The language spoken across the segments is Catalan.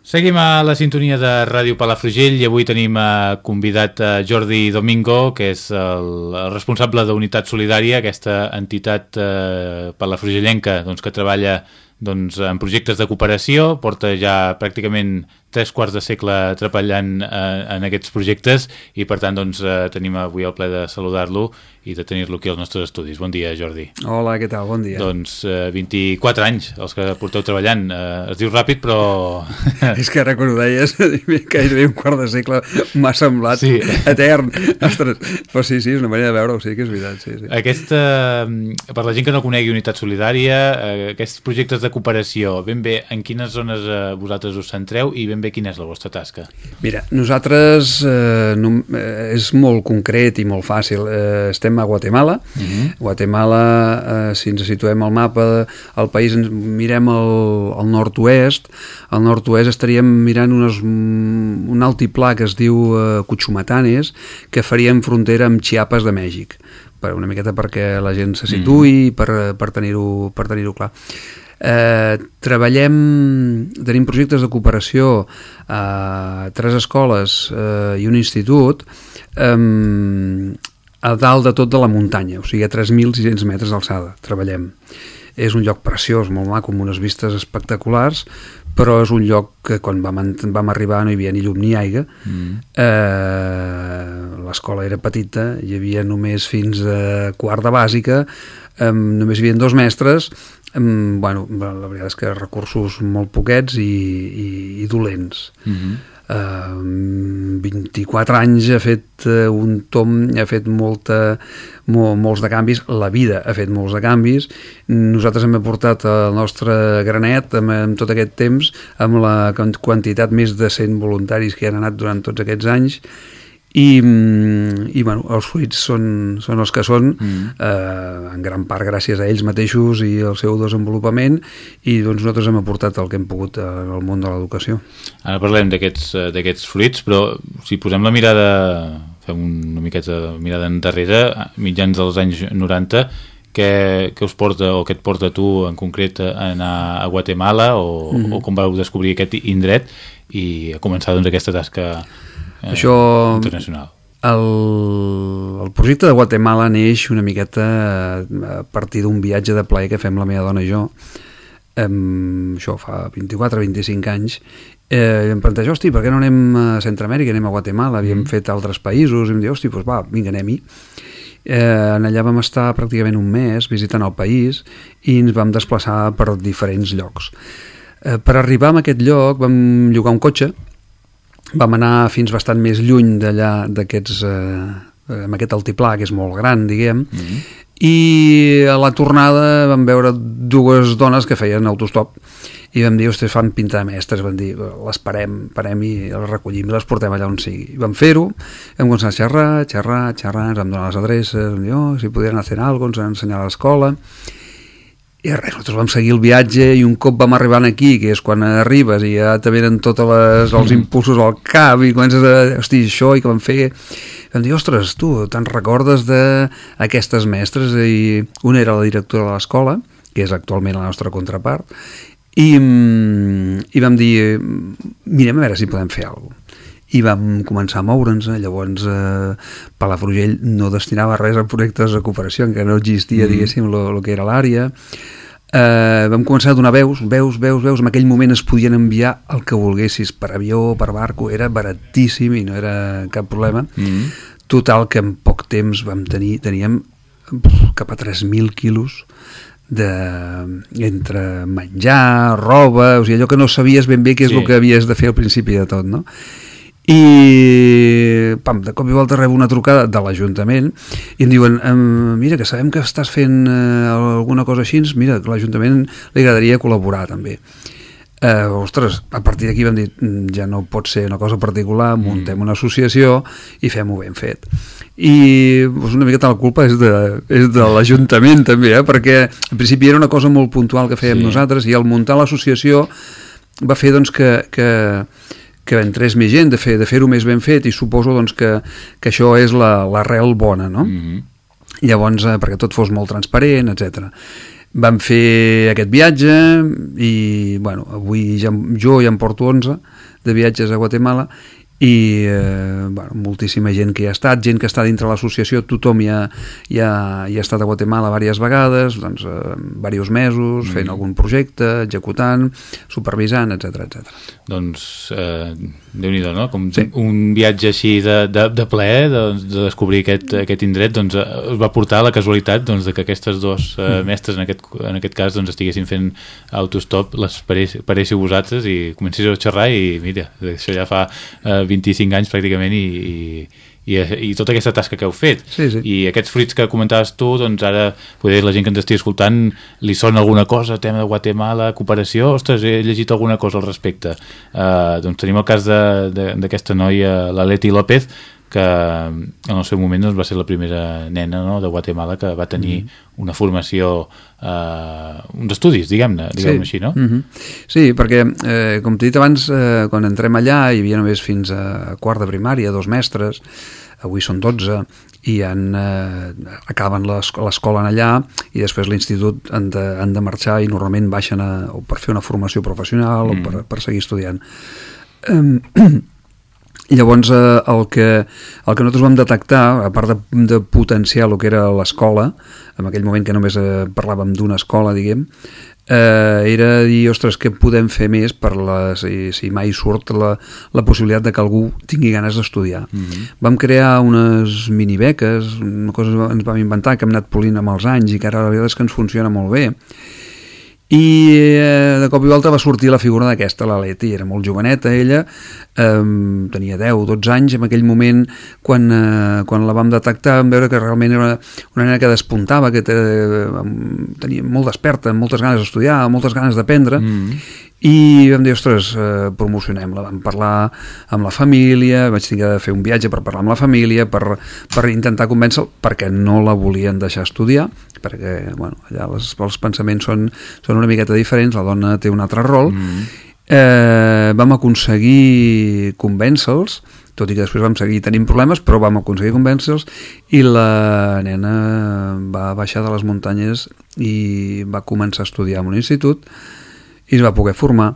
Seguim a la sintonia de Ràdio Palafrugell i avui tenim convidat Jordi Domingo, que és el responsable d'Unitat Solidària, aquesta entitat palafrugellenca que treballa en projectes de cooperació, porta ja pràcticament 3/4 de segle treballant en aquests projectes i per tant tenim avui el plaer de saludar-lo i de tenir-lo aquí als nostres estudis. Bon dia, Jordi. Hola, què tal? Bon dia. 24 anys els que porteu treballant. Es diu ràpid, però... És que ara quan ho deies, gairebé un quart de segle m'ha semblat etern. Ostres, però sí, és una manera de veure-ho, sí que és veritat. Sí. Per la gent que no conegui Unitat Solidària, aquests projectes de cooperació, ben bé, en quines zones vosaltres us centreu i ben bé quina és la vostra tasca? Mira, nosaltres és molt concret i molt fàcil. Estem a Guatemala. Guatemala, si ens situem al mapa, el país mirem al nord-oest. Al nord-oest estaríem mirant un altiplà que es diu Cuchumatanes, que faríem frontera amb Chiapas de Mèxic. Una miqueta perquè la gent se situï, per tenir-ho clar. Tenim projectes de cooperació a 3 escoles i un institut a dalt de tot de la muntanya, o sigui a 3.600 metres d'alçada treballem. És un lloc preciós, molt maco, amb unes vistes espectaculars, però és un lloc que quan vam arribar no hi havia ni llum ni aigua. L'escola era petita, hi havia només fins a quart de bàsica, només hi havia 2 mestres. La veritat és que recursos molt poquets i dolents. 24 anys ha fet un tomb, ha fet molts de canvis, la vida ha fet molts de canvis. Nosaltres hem aportat el nostre granet amb tot aquest temps, amb la quantitat més de 100 voluntaris que han anat durant tots aquests anys. I els fruits són els que són, en gran part gràcies a ells mateixos i al seu desenvolupament, i nosaltres hem aportat el que hem pogut al món de l'educació. Ara parlem d'aquests fruits, però si posem la mirada, fem una miqueta de mirada endarrere, mitjans dels anys 90, què us porta o què et porta tu en concret a anar a Guatemala o com vau descobrir aquest indret i a començar aquesta tasca internacional? El projecte de Guatemala neix una miqueta a partir d'un viatge de plaer que fem la meva dona i jo, això fa 24-25 anys, i em planteja, per què no anem a Centroamèrica, anem a Guatemala, havíem fet altres països, i em diu, vinga, anem-hi. Allà vam estar pràcticament un mes visitant el país i ens vam desplaçar per diferents llocs. Per arribar a aquest lloc vam llogar un cotxe, vam anar fins bastant més lluny d'allà, amb aquest altiplà, que és molt gran, diguem, i a la tornada vam veure 2 dones que feien autostop i vam dir, fan pinta de mestres, vam dir, les parem i les recollim i les portem allà on sigui. Vam fer-ho, vam començar a xerrar, ens vam donar les adreces, vam dir, si podien fer alguna cosa, ens van ensenyar a l'escola. I res, nosaltres vam seguir el viatge i un cop vam arribar aquí, que és quan arribes i ja te venen tots els impulsos al cap i comences a, això i què vam fer? Vam dir, tu, te'n recordes d'aquestes mestres? I una era la directora de l'escola, que és actualment la nostra contrapart, i vam dir, mirem a veure si podem fer alguna cosa. I vam començar a moure'ns. Llavors Palafrugell no destinava res a projectes de cooperació, encara no existia, diguéssim, el que era l'àrea. Vam començar a donar veus. En aquell moment es podien enviar el que volguessis, per avió, per barco, era baratíssim i no era cap problema. Total, que en poc temps teníem cap a 3.000 quilos entre menjar, roba, o sigui, allò que no sabies ben bé què és el que havies de fer al principi de tot, no? I de cop i volta rebo una trucada de l'Ajuntament i em diuen, mira, que sabem que estàs fent alguna cosa així, mira, que l'Ajuntament li agradaria col·laborar també. A partir d'aquí vam dir, ja no pot ser una cosa particular, muntem una associació i fem-ho ben fet. I una miqueta la culpa és de l'Ajuntament també, perquè en principi era una cosa molt puntual que fèiem nosaltres, i al muntar l'associació va fer que entrés més gent, de fer-ho més ben fet, i suposo que això és l'arrel bona, no? Llavors, perquè tot fos molt transparent, etc. Vam fer aquest viatge i, bueno, avui jo ja em porto 11 de viatges a Guatemala i bueno, moltíssima gent que hi ha estat, gent que està dintre l'associació, tothom hi ha estat a Guatemala diverses vegades, doncs diversos mesos, fent algun projecte, executant, supervisant, etc. Doncs Déu-n'hi-do, no? Com un viatge així de plaer, de descobrir aquest indret, doncs us va portar la casualitat doncs, de que aquestes dos mestres, en aquest cas, doncs, estiguessin fent autostop, les paréssiu vosaltres i comencéssiu a xerrar i mira, això ja fa 25 anys pràcticament i tota aquesta tasca que heu fet. Sí. I aquests fruits que comentaves tu, doncs ara poder la gent que ens estigui escoltant li sona alguna cosa, tema de Guatemala, cooperació, ostres, he llegit alguna cosa al respecte. Doncs tenim el cas d'aquesta noia, la Leti López, que en el seu moment doncs, va ser la primera nena, no?, de Guatemala que va tenir una formació, uns estudis, diguem-ne així, no? Sí, perquè, com t'he dit abans, quan entrem allà hi havia només fins a quart de primària, 2 mestres, avui són 12, i acaben l'escola allà i després l'institut han de marxar i normalment baixen per fer una formació professional o per seguir estudiant. Llavors el que nosaltres vam detectar, a part de potenciar el que era l'escola, en aquell moment que només parlàvem d'una escola, diguem, era dir, ostres, què podem fer més per si mai surt la possibilitat de que algú tingui ganes d'estudiar. Vam crear unes minibeques, una cosa que ens vam inventar, que hem anat polint amb els anys i que ara la veritat és que ens funciona molt bé. I de cop i volta va sortir la figura d'aquesta, la Leti, era molt joveneta ella, tenia 10-12 anys, en aquell moment quan la vam detectar vam veure que realment era una nena que despuntava, que tenia molt desperta, amb moltes ganes d'estudiar, moltes ganes d'aprendre, i vam dir, ostres, promocionem-la. Vam parlar amb la família, vaig haver de fer un viatge per parlar amb la família, per intentar convèncer-la, perquè no la volien deixar estudiar, perquè bueno, allà els pensaments són una miqueta diferents, la dona té un altre rol. Vam aconseguir convèncer-los, tot i que després vam seguir tenint problemes, però vam aconseguir convèncer-los, i la nena va baixar de les muntanyes i va començar a estudiar en un institut i es va poder formar.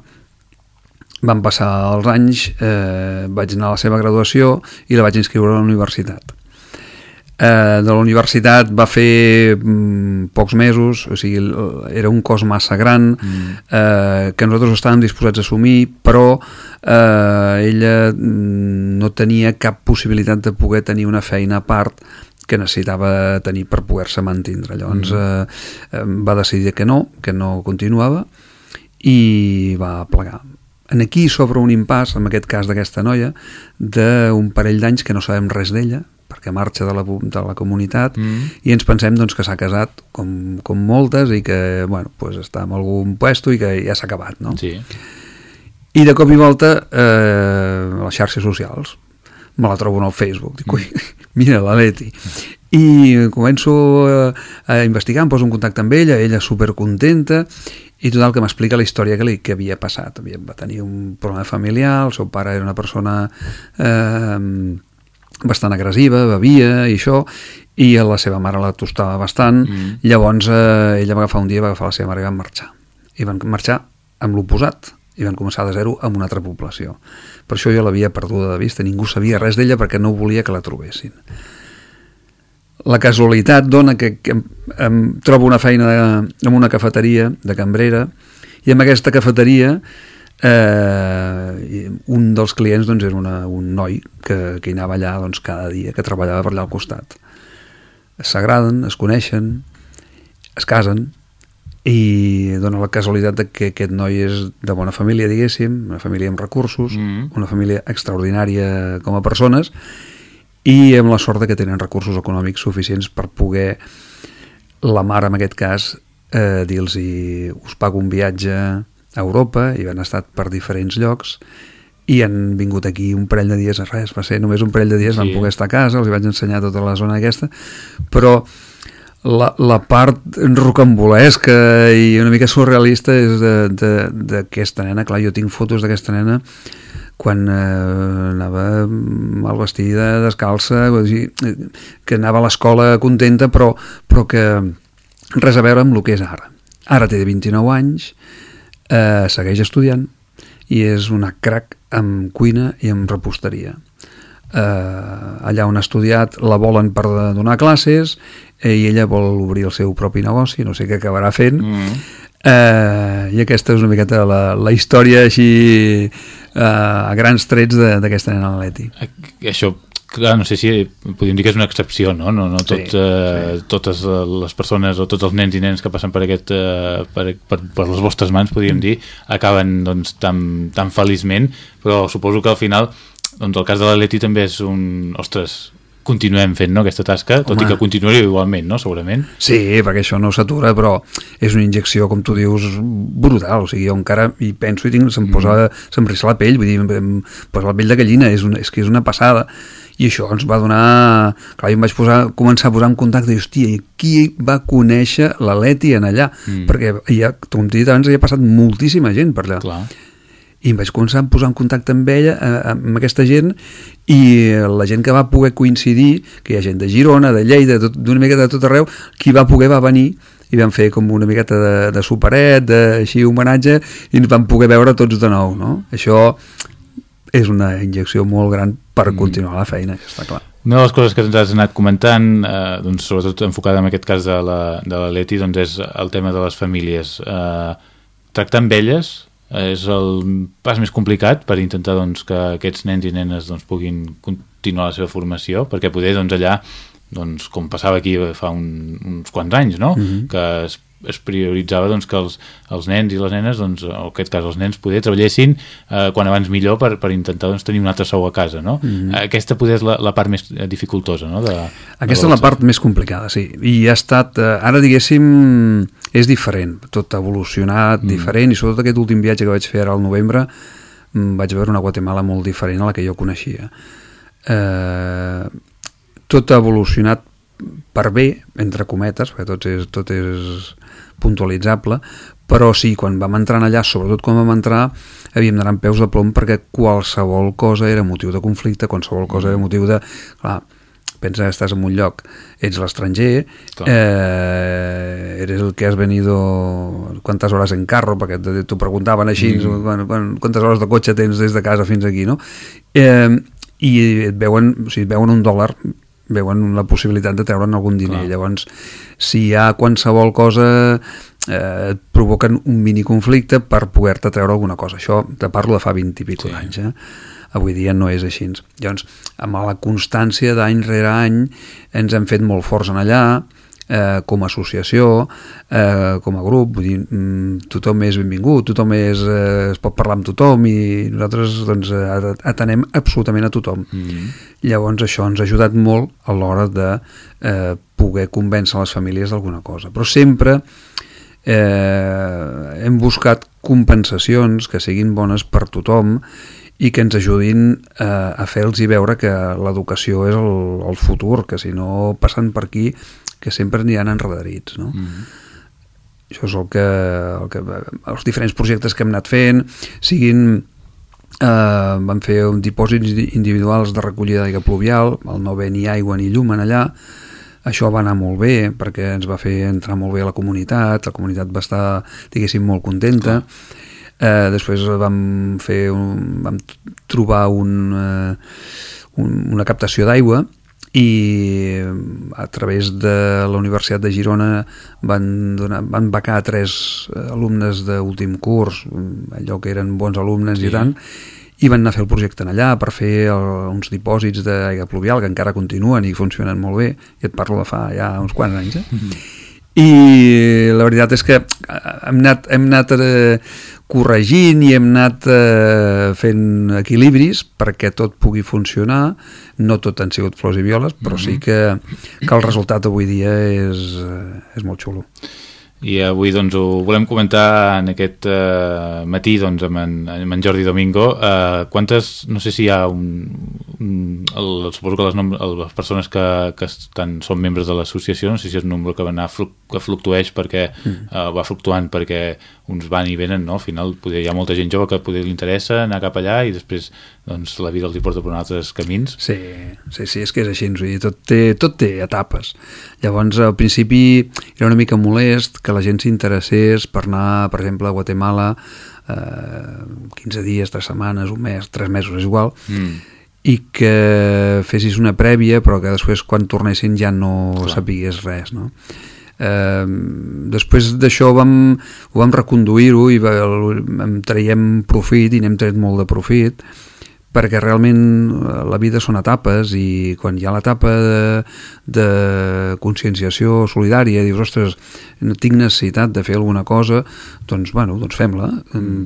Van passar els anys, vaig anar a la seva graduació i la vaig inscriure a la universitat. De la universitat va fer pocs mesos, o sigui, era un cost massa gran, que nosaltres estàvem disposats a assumir, però ella no tenia cap possibilitat de poder tenir una feina a part que necessitava tenir per poder-se mantindre. Llavors va decidir que no continuava i va plegar. Aquí s'obre un impàs, en aquest cas d'aquesta noia, d'un parell d'anys que no sabem res d'ella, perquè marxa de la comunitat, i ens pensem doncs, que s'ha casat com moltes i que bueno, pues, està en algun puesto i que ja s'ha acabat, no? Sí. I de cop i volta a les xarxes socials me la trobo en el Facebook, dic, ui, mira la Leti, i començo a investigar, em poso en contacte amb ella supercontenta, i total que m'explica la història que havia passat. Va tenir un problema familiar, el seu pare era una persona bastant agressiva, bevia i això, i la seva mare la tostava bastant. Llavors ella va agafar un dia, va agafar la seva mare i van marxar. I van marxar amb l'oposat, i van començar de zero amb una altra població. Per això jo l'havia perduda de vista, ningú sabia res d'ella perquè no volia que la trobessin. La casualitat dona que em trobo una feina en una cafeteria de cambrera, i en aquesta cafeteria un dels clients doncs, era un noi que hi anava allà doncs, cada dia, que treballava per allà al costat. S'agraden, es coneixen, es casen, i dona la casualitat que aquest noi és de bona família, diguéssim, una família amb recursos, una família extraordinària com a persones, i amb la sort que tenen recursos econòmics suficients per poder, la mare en aquest cas, dir-los us pago un viatge a Europa, i han estat per diferents llocs i han vingut aquí un parell de dies, res, va ser només un parell de dies, van poder estar a casa, els vaig ensenyar tota la zona aquesta, però la part rocambolesca i una mica surrealista és d'aquesta nena. Clar, jo tinc fotos d'aquesta nena quan anava mal vestida, descalça, que anava a l'escola contenta, però que res a veure amb el que és ara. ara té 29 anys, segueix estudiant i és una crac en cuina i en reposteria. Allà on ha estudiat la volen per donar classes i ella vol obrir el seu propi negoci, no sé què acabarà fent. I aquesta és una miqueta la història així a grans trets d'aquesta nena, la Leti. Això, clar, no sé si podríem dir que és una excepció, no? No totes les persones o tots els nens i nenes que passen per les vostres mans, podríem dir, acaben doncs, tan feliçment, però suposo que al final doncs, el cas de la Leti també és ostres, continuem fent, no, aquesta tasca, tot i que continuaria igualment, no, segurament. Sí, perquè això no s'atura, però és una injecció, com tu dius, brutal. O sigui, jo encara hi penso i se'm rissa la pell, vull dir, em posa la pell de gallina, és que és una passada. I això ens va donar... Clar, jo em vaig començar a posar en contacte i, hòstia, qui va conèixer la Leti en allà? Perquè, com t'he dit abans, hi ha passat moltíssima gent per allà. Clar. I em vaig començar a posar en contacte amb ella, amb aquesta gent, i la gent que va poder coincidir, que hi ha gent de Girona, de Lleida, d'una miqueta de tot arreu, qui va poder va venir i vam fer com una miqueta de superet, així homenatge, i ens vam poder veure tots de nou, no? Això és una injecció molt gran per continuar la feina, està clar. Una de les coses que ens has anat comentant, doncs, sobretot enfocada en aquest cas de la Leti, doncs és el tema de les famílies. Tractar amb elles és el pas més complicat per intentar doncs, que aquests nens i nenes doncs, puguin continuar la seva formació, perquè poder doncs, allà, doncs, com passava aquí fa uns quants anys, no? Que es prioritzava doncs, que els nens i les nenes, doncs, en aquest cas els nens, poder treballessin quan abans millor per intentar doncs, tenir un altre sou a casa, no? Aquesta poder és la part més dificultosa, no? Aquesta és la part més complicada, sí. I ha estat, ara diguéssim, és diferent, tot ha evolucionat diferent, i sobretot aquest últim viatge que vaig fer ara al novembre vaig veure una Guatemala molt diferent a la que jo coneixia. Tot ha evolucionat per bé, entre cometes, perquè tot és puntualitzable, però sí, quan vam entrar allà, sobretot quan vam entrar, havíem d'anar amb peus de plom perquè qualsevol cosa era motiu de conflicte, qualsevol cosa era motiu de... Clar, pensa que estàs en un lloc, ets l'estranger, eres el que has venido quantes hores en carro, perquè t'ho preguntaven així, quantes hores de cotxe tens des de casa fins aquí, no? I et veuen, o sigui, et veuen $1, veuen la possibilitat de treure'n algun diner. Llavors, si hi ha qualsevol cosa, et provoquen un mini conflicte per poder-te treure alguna cosa. Això te parlo de fa 20 i pico d'anys, avui dia no és així. Llavors, amb la constància d'any rere any ens hem fet molt forts en allà, com a associació, com a grup, vull dir, tothom és benvingut, tothom es pot parlar amb tothom i nosaltres doncs, atenem absolutament a tothom. Llavors això ens ha ajudat molt a l'hora de poder convèncer les famílies d'alguna cosa. Però sempre hem buscat compensacions que siguin bones per tothom i que ens ajudin a fer-los veure que l'educació és el futur, que si no passen per aquí que sempre n'hi ha enredarits, no? Això és el que els diferents projectes que hem anat fent siguin vam fer un dipòsits individuals de recollida d'aigua pluvial, al no haver ni aigua ni llum en allà. Això va anar molt bé perquè ens va fer entrar molt bé a la comunitat va estar, diguéssim, molt contenta. Després vam trobar una captació d'aigua i a través de la Universitat de Girona van becar 3 alumnes d'últim curs, allò que eren bons alumnes i tant, i van anar a fer el projecte allà per fer uns dipòsits d'aigua pluvial que encara continuen i funcionen molt bé, i et parlo de fa ja uns quants anys, I la veritat és que hem anat corregint i hem anat fent equilibris perquè tot pugui funcionar. No tot han sigut flors i violes, però sí que el resultat avui dia és molt xulo. I avui doncs ho volem comentar en aquest matí doncs, amb en Jordi Domingo. Quantes, no sé si hi ha suposo que les persones que són membres de l'associació, no sé si és un nombre que fluctueix perquè va fluctuant perquè uns van i venen, no? Al final hi ha molta gent jove que poder li interessa anar cap allà i després doncs, la vida els hi porta per altres camins. Sí, és que és així, tot té etapes. Llavors, al principi era una mica molest que la gent s'interessés per anar, per exemple, a Guatemala 15 dies, 3 setmanes, un mes, 3 mesos, és igual, i que fessis una prèvia però que després quan tornessin ja no sapigués res, no? Després d'això ho vam reconduir-ho i en traiem profit i n'hem tret molt de profit perquè realment la vida són etapes i quan hi ha l'etapa de conscienciació solidària, dius, ostres, no tinc necessitat de fer alguna cosa, doncs fem-la.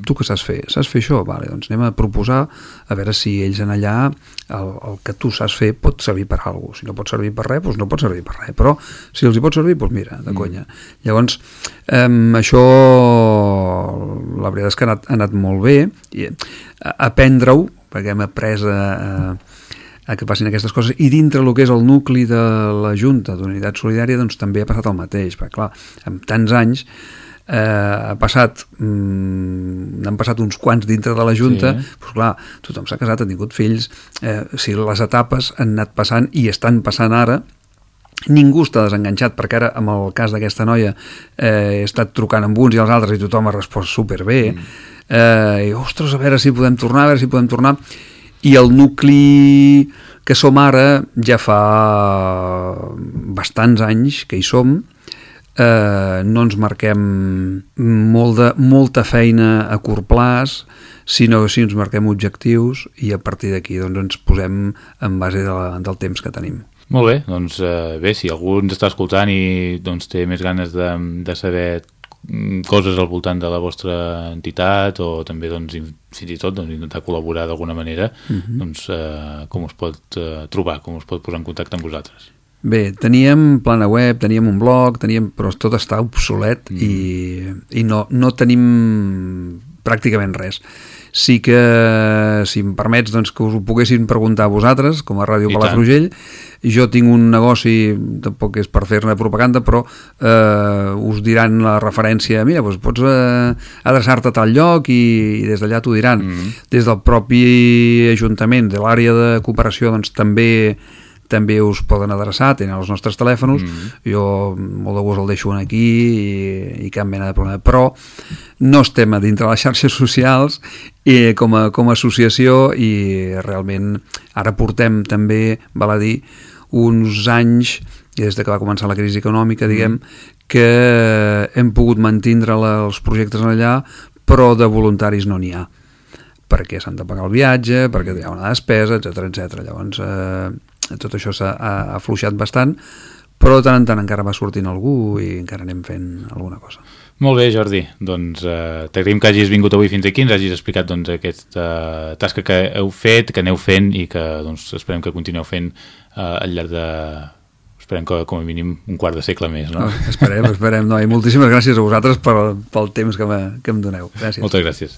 Tu què saps fer? Saps fer això? Vale, doncs anem a proposar a veure si ells en allà el que tu saps fer pot servir per alguna cosa. Si no pot servir per res, doncs no pot servir per res, però si els hi pot servir, doncs mira, de conya. Llavors, això la veritat és que ha anat molt bé i aprendre-ho perquè hem après a que passin aquestes coses i dintre el que és el nucli de la Junta d'Unitat Solidària doncs també ha passat el mateix, perquè clar, amb tants anys n'han passat uns quants dintre de la Junta, doncs clar, tothom s'ha casat, ha tingut fills, si les etapes han anat passant i estan passant ara, ningú està desenganxat, perquè ara amb el cas d'aquesta noia he estat trucant amb uns i els altres i tothom ha respost superbé, i ostres, a veure si podem tornar, i el nucli que som ara ja fa bastants anys que hi som, no ens marquem molta feina a curt plaç, sinó que ens marquem objectius i a partir d'aquí doncs, ens posem en base del temps que tenim. Molt bé, doncs bé, si algú ens està escoltant i doncs, té més ganes de saber coses al voltant de la vostra entitat o també doncs, fins i tot doncs, intentar col·laborar d'alguna manera, doncs, com us pot trobar, com us pot posar en contacte amb vosaltres? Bé, teníem plana web, teníem un blog, però tot està obsolet i no tenim pràcticament res. Sí que, si em permets, doncs, que us ho poguessin preguntar a vosaltres, com a Ràdio Palafrugell. Jo tinc un negoci, tampoc és per fer-ne propaganda, però us diran la referència, mira, doncs pots adreçar-te a tal lloc i des d'allà t'ho diran. Des del propi Ajuntament, de l'àrea de cooperació, doncs també us poden adreçar, tenen els nostres telèfons, jo molt de gust el deixo aquí i cap mena de problema, però no estem a dintre les xarxes socials com a associació i realment ara portem també, val a dir, uns anys, des que va començar la crisi econòmica, diguem, que hem pogut mantindre els projectes allà, però de voluntaris no n'hi ha, perquè s'han de pagar el viatge, perquè hi ha una despesa, etc. Llavors, tot això s'ha afluixat bastant, però de tant en tant encara va sortint algú i encara anem fent alguna cosa. Molt bé, Jordi, doncs t'agraïm que hagis vingut avui fins aquí, ens hagis explicat doncs, aquesta tasca que heu fet, que aneu fent i que doncs, esperem que continueu fent al llarg de... Esperem que com a mínim un quart de segle més, no? Esperem. No, i moltíssimes gràcies a vosaltres pel temps que em doneu. Gràcies. Moltes gràcies.